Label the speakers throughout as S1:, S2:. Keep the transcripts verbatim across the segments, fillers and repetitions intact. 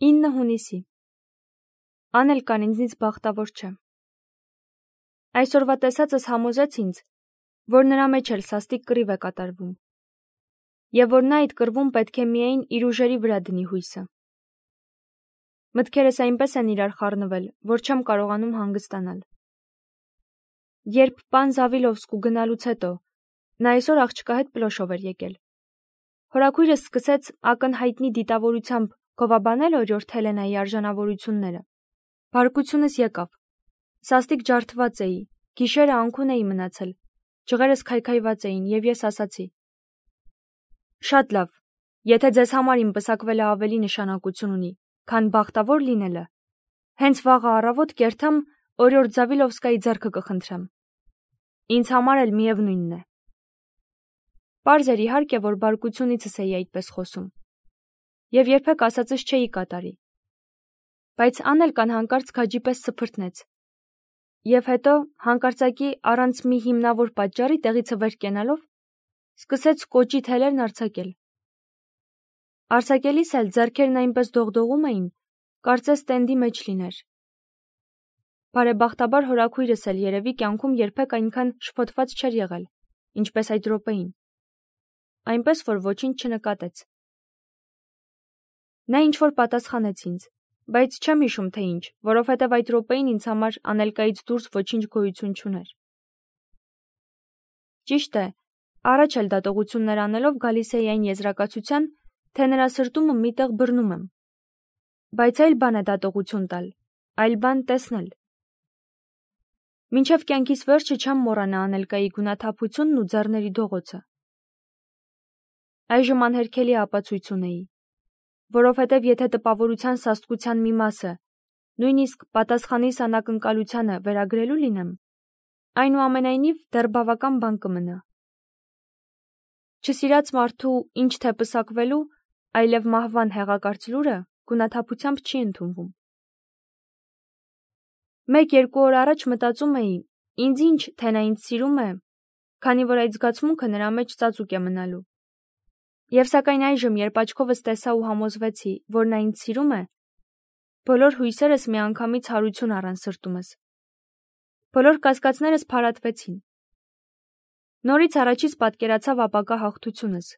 S1: ինը հունիսի։ Անելկան ինձնից բախտավոր չէ։ Այսօրվա տեսածս համոզեց ինձ, որ նրա մեջ էլ սաստիկ կռիվ է կատարվում, եւ որ նա այդ կռվում պետք է միայն իր ուժերի վրա դնի հույսը։ Մտքերս այնպես են իրար խառնվել, որ չեմ կարողանում հանգստանալ։ Երբ պան Զավիլովսկու գնալուց հետո նա այսօր աղջկա հետ պլոշով էր եկել, հորաքույրս սկսեց ակնհայտնի դիտավորությամբ գովաբանել օրիորդ Հելենայի արժանավորությունները։ Բարկությունս եկավ։ Սաստիկ ջարդված էի, գիշերը անքուն էի մնացել, ջղերս քայքայված էին, եւ ես ասացի. Շատ լավ, եթե ձեզ համար իմ պսակվելը ավելի նշանակություն ունի, քան բախտավոր լինելը, հենց վաղը առավոտ կերթամ օրիորդ Զավիլովսկայի ձեռքը կխնդրեմ։ Ինձ համար էլ միևնույնն է։ Պարզ էր իհարկե, որ բարկությունիցս էի այդպես խոսում, եւ երբեք ասածս չէի կատարի։ Բայց Անելկան հանկարծ քաջի պես սփրտնեց, եւ հետո հանկարծակի առանց մի հիմնավոր պատճառի տեղիցը վեր կենալով սկսեց կոճի թելերն արձակել։ Արձակելիս էլ ձեռքերն այնպես դողդողում էին, կարծես տենդի մեջ լիներ։ Բարեբախտաբար հորաքույրս էլ երևի կյանքում երբեք այնքան շփոթված չէր եղել, ինչպես այդ րոպեին, այնպես որ ոչինչ չնկատեց։ Նա ինչ-որ պատասխանեց ինձ, բայց չեմ հիշում, թե ինչ, որովհետև այդ րոպեին ինձ համար Անելկայից դուրս ոչինչ գոյություն չուներ։ Ճիշտ է, առաջ էլ դատողություններ անելով գալիս էի այն եզրակացության, թե նրա սրտումը միտեղ բռնում եմ։ Բայց այլ բան է դատողություն տալ, այլ բան տեսնել։ Մինչև կյանքիս վերջը չեմ մոռանա Անելկայի գունաթափությունն ու ձեռների դողոցը։ Այժմ անհերքելի ապացույց ունեի, որովհետև եթե տպավորության սաստկության մի մասը, նույնիսկ պատասխանիս անակնկալությանը վերագրելու լինեմ, այնուամենայնիվ դեռ բավական բան կմնա։ Չսիրած մարդու ինչ թե պսակվելու, այլև մահվան հեղակարծ լուրը գունաթափությամբ չի ընդունվում։ Մեկ-երկու օր առաջ մտածում էի, ինձ ինչ, թե նա ինձ սիրում է, քանի որ այդ զգացմունքը նրա մեջ ծածուկ է մնալու։ Եվ սակայն այժմ, երբ աչքովս տեսա ու համոզվեցի, որ նա ինձ սիրում է, բոլոր հույսերս միանգամից հարություն առան սրտումս։ Բոլոր կասկածներս փարատվեցին։ Նորից առաջից պատկերացավ ապագա հաղթությունս։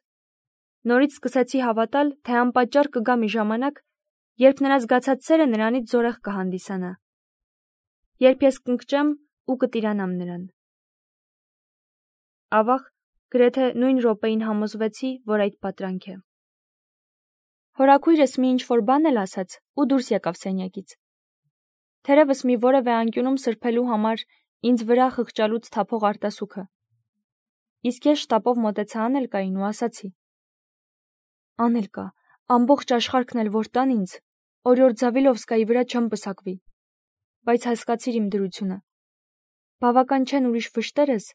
S1: Նորից սկսեցի հավատալ, թե անպատճառ կգա մի ժամանակ, երբ նրա զգացած սերը նրանից զորեղ կհանդիսանա, երբ ես կընկճեմ ու կտիրանամ նրան։ Ավաղ, գրեթե նույն րոպեին համոզվեցի, որ այդ պատրանք է։ Հորաքույրս մի ինչ-որ բան էլ ասաց ու դուրս եկավ սենյակից։ Թերևս մի որևէ անկյունում սրբելու համար ինձ վրա խղճալուց թափող արտասուքը։ Իսկ ես շտապով մոտեցա Անելկային ու ասացի. Անելկա, ամբողջ աշխարհքն էլ որ տան ինձ, օրիորդ Զավիլովսկայի վրա չեմ պսակվի, բայց հասկացիր իմ դրությունը։ Բավական չեն ուրիշ վշտերս,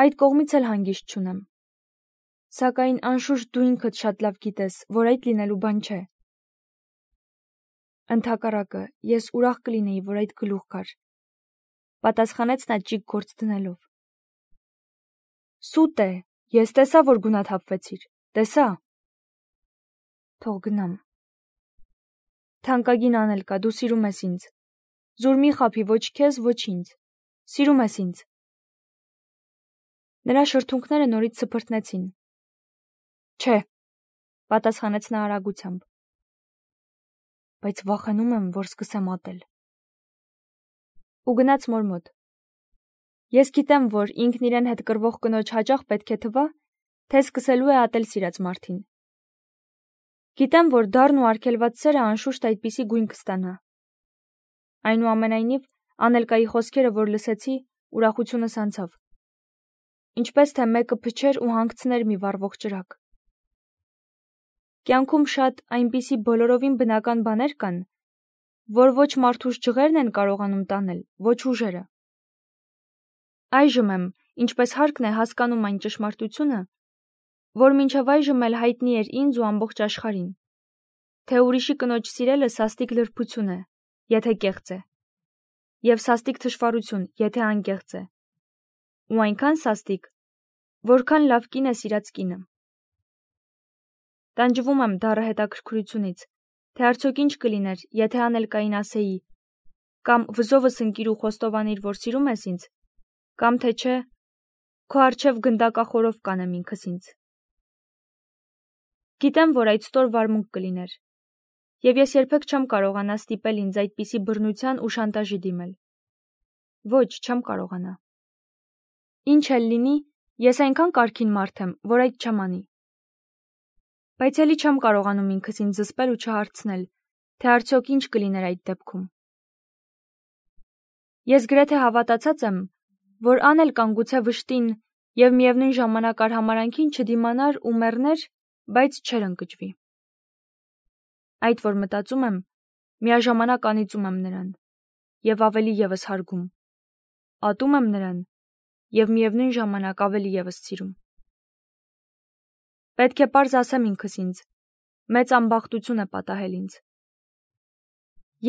S1: այդ կողմից էլ հանգիստ չունեմ։ Սակայն անշուշտ դու ինքդ շատ լավ գիտես, որ այդ լինելու բան չէ։ Ընդհակառակը, ես ուրախ կլինեի, որ այդ գլուխ գար, պատասխանեց նա ճիգ գործ դնելով։ Սուտ է, ես տեսա, որ գունաթափվեցիր, տեսա։ Թող գնամ։ Թանկագին Անելկա, դու սիրում ես ինձ։ Զուր մի խաբի ոչ քեզ, ոչ ինձ։ Սիրում ես ինձ։ Նրա շրթունքները նորից սփրտնեցին։ Չէ, պատասխանեց նա արագությամբ։ Բայց վախենում եմ, որ սկսեմ ատել։ Ու գնաց մոր մոտ։ Ես գիտեմ, որ ինքն իրեն հետ կռվող կնոջ հաճախ պետք է թվա, թե սկսելու է ատել սիրած մարդին։ Գիտեմ, որ դառն ու արգելված սերը անշուշտ այդպիսի գույն կստանա։ Այնուամենայնիվ, Անելկայի խոսքերը, որ լսեցի, ուրախությունս անցավ։ Ինչպես թե մեկը փչեր ու հանգցներ մի վառվող ճրագ։ Կյանքում շատ այնպիսի բոլորովին բնական բաներ կան, որ ոչ մարդուս ջղերն են կարողանում տանել, ոչ ուժերը։ Այժմ եմ, ինչպես հարկն է, հասկանում այն ճշմարտությունը, որ մինչև այժմ էլ հայտնի էր ինձ ու ամբողջ աշխարհին, թե ուրիշի կնոջ սիրելը սաստիկ լրբություն է, եթե կեղծ է, եւ սաստիկ թշվառություն, եթե անկեղծ է, ու այնքան սաստիկ, որքան լավ կին է սիրած կինը։ Տանջվում եմ դառը հետաքրքրությունից, թե արդյոք ինչ կլիներ, եթե Անելկային ասեի, կամ վզովս ընկիր ու խոստովանիր, որ սիրում ես ինձ, կամ թե չէ, քո առջև գնդակախորով կանեմ ինքս ինձ։ Գիտեմ, որ այդ ստոր վարմունք կլիներ, եւ ես երբեք չեմ կարողանա ստիպել ինձ այդպիսի բռնության ու շանտաժի դիմել։ Ոչ, չեմ կարողանա։ Ինչ էլ լինի, ես այնքան կարգին մարդ եմ, որ այդ չեմ անի։ Բայց էլի չեմ կարողանում ինքս ինձ զսպել ու չհարցնել, թե արդյոք ինչ կլիներ այդ դեպքում։ Ես գրեթե հավատացած եմ, որ Անելկան գուցե վշտին եւ միևնույն ժամանակ արհամարանքին չդիմանար ու մեռներ, բայց չէր ընկճվի։ Այդ որ մտածում եմ, միաժամանակ անիծում եմ նրան եւ ավելի եւս հարգում։ Ատում եմ նրան եւ միևնույն ժամանակ ավելի եւս սիրում։ Պետք է պարզ ասեմ ինքս ինձ, մեծ անբախտություն է պատահել ինձ։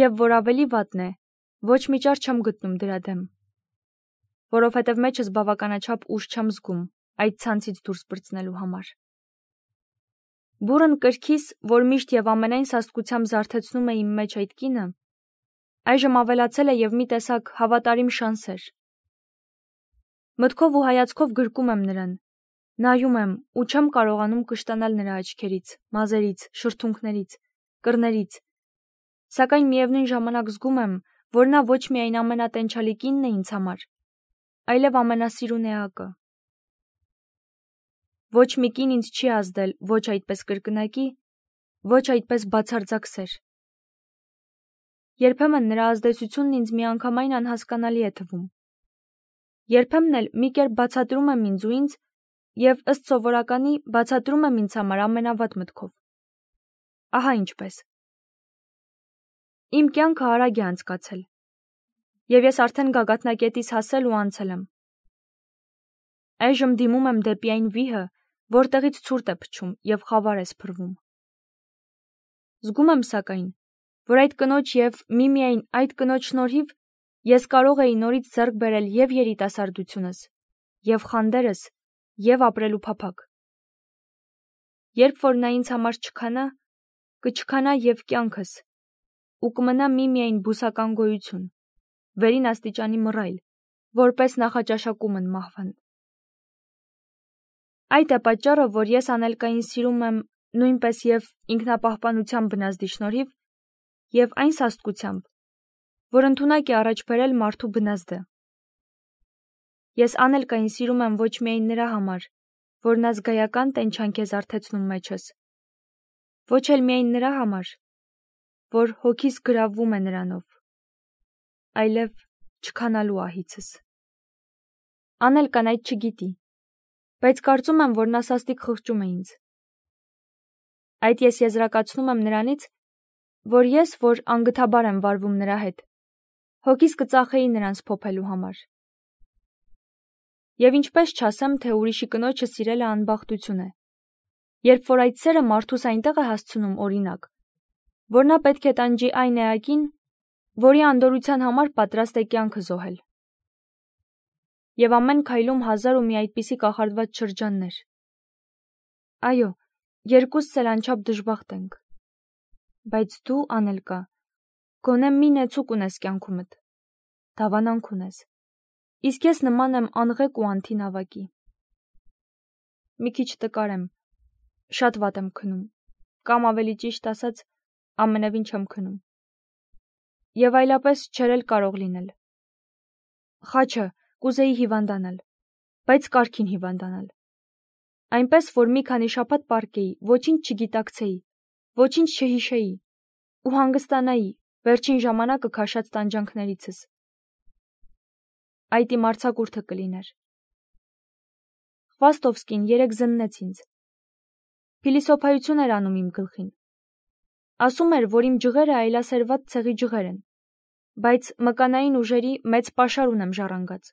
S1: Եվ որ ավելի վատն է, ոչ մի ճար չեմ գտնում դրա դեմ, որովհետև մեջս բավականաչափ ուժ չեմ զգում այդ ցանցից դուրս պրծնելու համար։ Բուրըն կրքիս, որ միշտ եւ ամենայն սաստկությամբ զարթեցնում է իմ մեջ այդ կինը, այժմ ավելացել է եւ մի տեսակ հավատարիմ շանսեր։ Մտքով ու հայացքով գրկում եմ նրան, նայում եմ ու չեմ կարողանում կշտանալ նրա աչքերից, մազերից, շրթունքներից, կռներից, սակայն միևնույն ժամանակ զգում եմ, որ նա ոչ միայն ամենատենչալի կինն է ինձ համար, այլև ամենասիրուն էակը։ Ոչ մի կին ինձ չի ազդել ոչ այդպես կրկնակի, ոչ այդպես բացարձակ սեր։ Երբեմն նրա ազդեցությունն ինձ միանգամայն անհասկանալի է թվում։ Երբեմն էլ մի կերպ բացատրում եմ ինձ ու ինձ եւ ըստ սովորականի բացատրում եմ ինձ համար ամենավատ մտքով։ Ահա ինչպես։ Իմ կյանքը արագ է անցկացել, եւ ես արդեն գագաթնակետից հասել ու անցել եմ։ Այժմ դիմում եմ դեպի այն վիհը, որտեղից ցուրտ է փչում եւ խավար է սփռվում։ Զգում եմ սակայն, որ այդ կնոջ եւ միմիայն այդ կնոջ շնորհիվ ես կարող էի նորից ձեռք բերել եւ երիտասարդությունս, եւ խանդերս, եւ ապրելու փափակ։ Երբ որ նա ինձ համար չքանա, կչքանա եւ կյանքս, ու կմնա միմիայն բուսական գոյություն, վերին աստիճանի մռայլ, որպես նախաճաշակումն մահվան։ Այդ է պատճառը, որ ես Անելկային սիրում եմ նույնպես եւ ինքնապահպանության բնազդի շնորհիվ, եւ այն սաստկությամբ, որ ընդունակ է առաջ բերել մարդու բնազդը։ Ես Անելկային սիրում եմ ոչ միայն նրա համար, որ նա զգայական տենչանք է զարթեցնում մեջս, ոչ էլ միայն նրա համար, որ հոգիս գրավվում է նրանով, այլև չքանալու ահիցս։ Անելկան այդ չգիտի, բայց կարծում եմ, որ նա սաստիկ խղճում է ինձ։ Այդ ես եզրակացնում եմ նրանից, որ ես, որ անգթաբար եմ վարվում նրա հետ, հոգիս կծախեի նրան սփոփելու համար։ Եվ ինչպես չասեմ, թե ուրիշի կնոջը սիրելը անբախտություն է, երբ որ այդ սերը մարդուս այնտեղ է հասցնում օրինակ, որ նա պետք է տանջի այն էակին, որի անդորության համար պատրաստ է կյանքը զոհել։ Եվ ամեն քայլում հազար ու մի այդպիսի կախարդված շրջաններ։ Այո, երկուսս էլ անչափ դժբախտ ենք։ Բայց դու, Անելկա, գոնե մի նեցուկ ունես կյանքումդ, դավանանք ունես, իսկ ես նման եմ անղեկ ու անթին ավակի։ Մի քիչ տկար եմ, շատ վատ եմ քնում, կամ ավելի ճիշտ ասած, ամենևին չեմ քնում։ Եվ այլապես չէր էլ կարող լինել։ Խաչը կուզեի հիվանդանալ, բայց կարգին հիվանդանալ։ Այնպես, որ մի քանի շաբաթ պառկեի, ոչինչ չգիտակցեի, ոչինչ չհիշեի, ու հանգստանայի վերջին ժամանակը քաշած տանջանքներիցս։ Այդ իմ արձակուրդը կլիներ։ Խվաստովսկին երեկ զննեց ինձ։ Փիլիսոփայություն էր անում իմ գլխին։ Ասում էր, որ իմ ջղերը այլասերված ցեղի ջղեր են, բայց մկանային ուժերի մեծ պաշար ունեմ ժառանգած։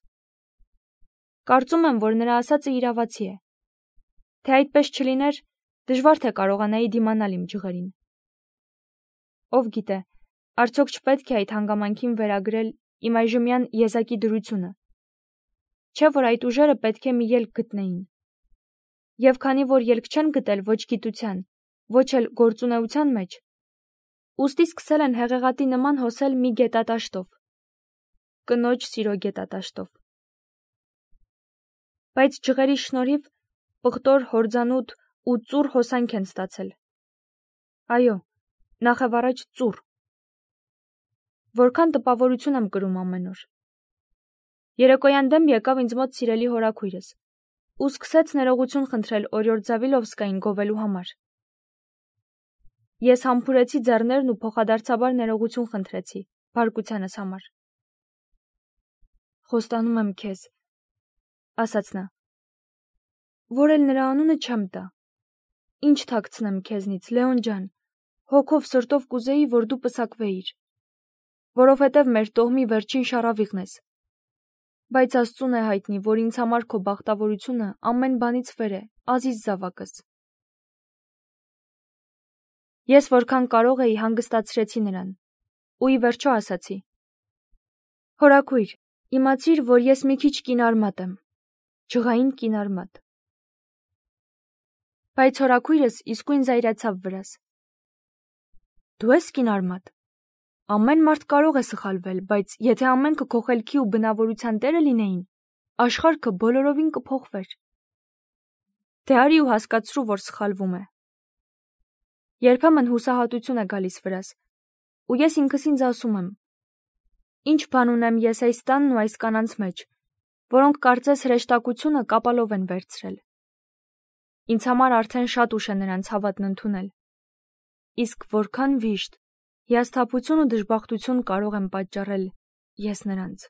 S1: Կարծում եմ, որ նրա ասածը իրավացի է։ Թե այդպես չլիներ, դժվար թե կարողանայի դիմանալ իմ ջղերին։ Ով գիտե, արդյոք չպետք է այդ հանգամանքին վերագրել իմ այժմյան եզակի դրությունը։ Չէ՞ որ այդ ուժերը պետք է մի ելք գտնեին։ Եվ քանի որ ելք չեն գտել ոչ գիտության, ոչ էլ գործունեության մեջ, Ուստի սկսել են հեղեղատի նման հոսել մի գետատաշտով, կնոջ սիրո գետատաշտով։ Բայց ջղերի շնորհիվ պղտոր, հորձանուտ ու ծուռ հոսանք են ստացել։ Այո, նախավառաջ ծուռ։ Որքան տպավորություն եմ կրում ամեն օր։ Երեկոյան դեմ եկավ ինձ մոտ սիրելի հորաքույրս ու սկսեց ներողություն խնդրել Օրիոր Զավիլովսկային գովելու համար։ Ես համբուրեցի ձեռներն ու փոխադարձաբար ներողություն խնդրեցի բարկությանս համար։ Խոստանում եմ քեզ, ասաց նա, որ էլ նրա անունը չեմ տա։ Ինչ թաքցնեմ քեզնից, Լեոն ջան, հոգով սրտով կուզեի, որ դու պսակվեիր, որովհետև մեր տոհմի վերջին շառավիղն ես։ Բայց Աստծուն է հայտնի, որ ինձ համար քո բախտավորությունը ամեն բանից վեր է, ազիզ զավակս։ Ես որքան կարող էի հանգստացրեցի նրան, ու ի վերջո ասացի. Հորաքույր, իմացիր, որ ես մի քիչ կինարմատ եմ, ջղային կինարմատ։ Բայց հորաքույրս իսկույն զայրացավ վրաս։ Դու ես կինարմատ։ Ամեն մարդ կարող է սխալվել, բայց եթե ամենքը քո խելքի ու բնավորության տերը լինեին, աշխարհը բոլորովին կփոխվեր։ Դե արի ու հասկացրու, որ սխալվում է։ Երբեմն հուսահատություն է գալիս վրաս, ու ես ինքս ինձ ասում եմ. Ինչ բան ունեմ ես այս տանն ու այս կանանց մեջ, որոնք կարծես հրեշտակությունը կապալով են վերցրել։ Ինձ համար արդեն շատ ուշ է նրանց հավատն ընդունել։ Իսկ որքան վիշտ, հիասթափություն ու դժբախտություն կարող եմ պատճառել ես նրանց։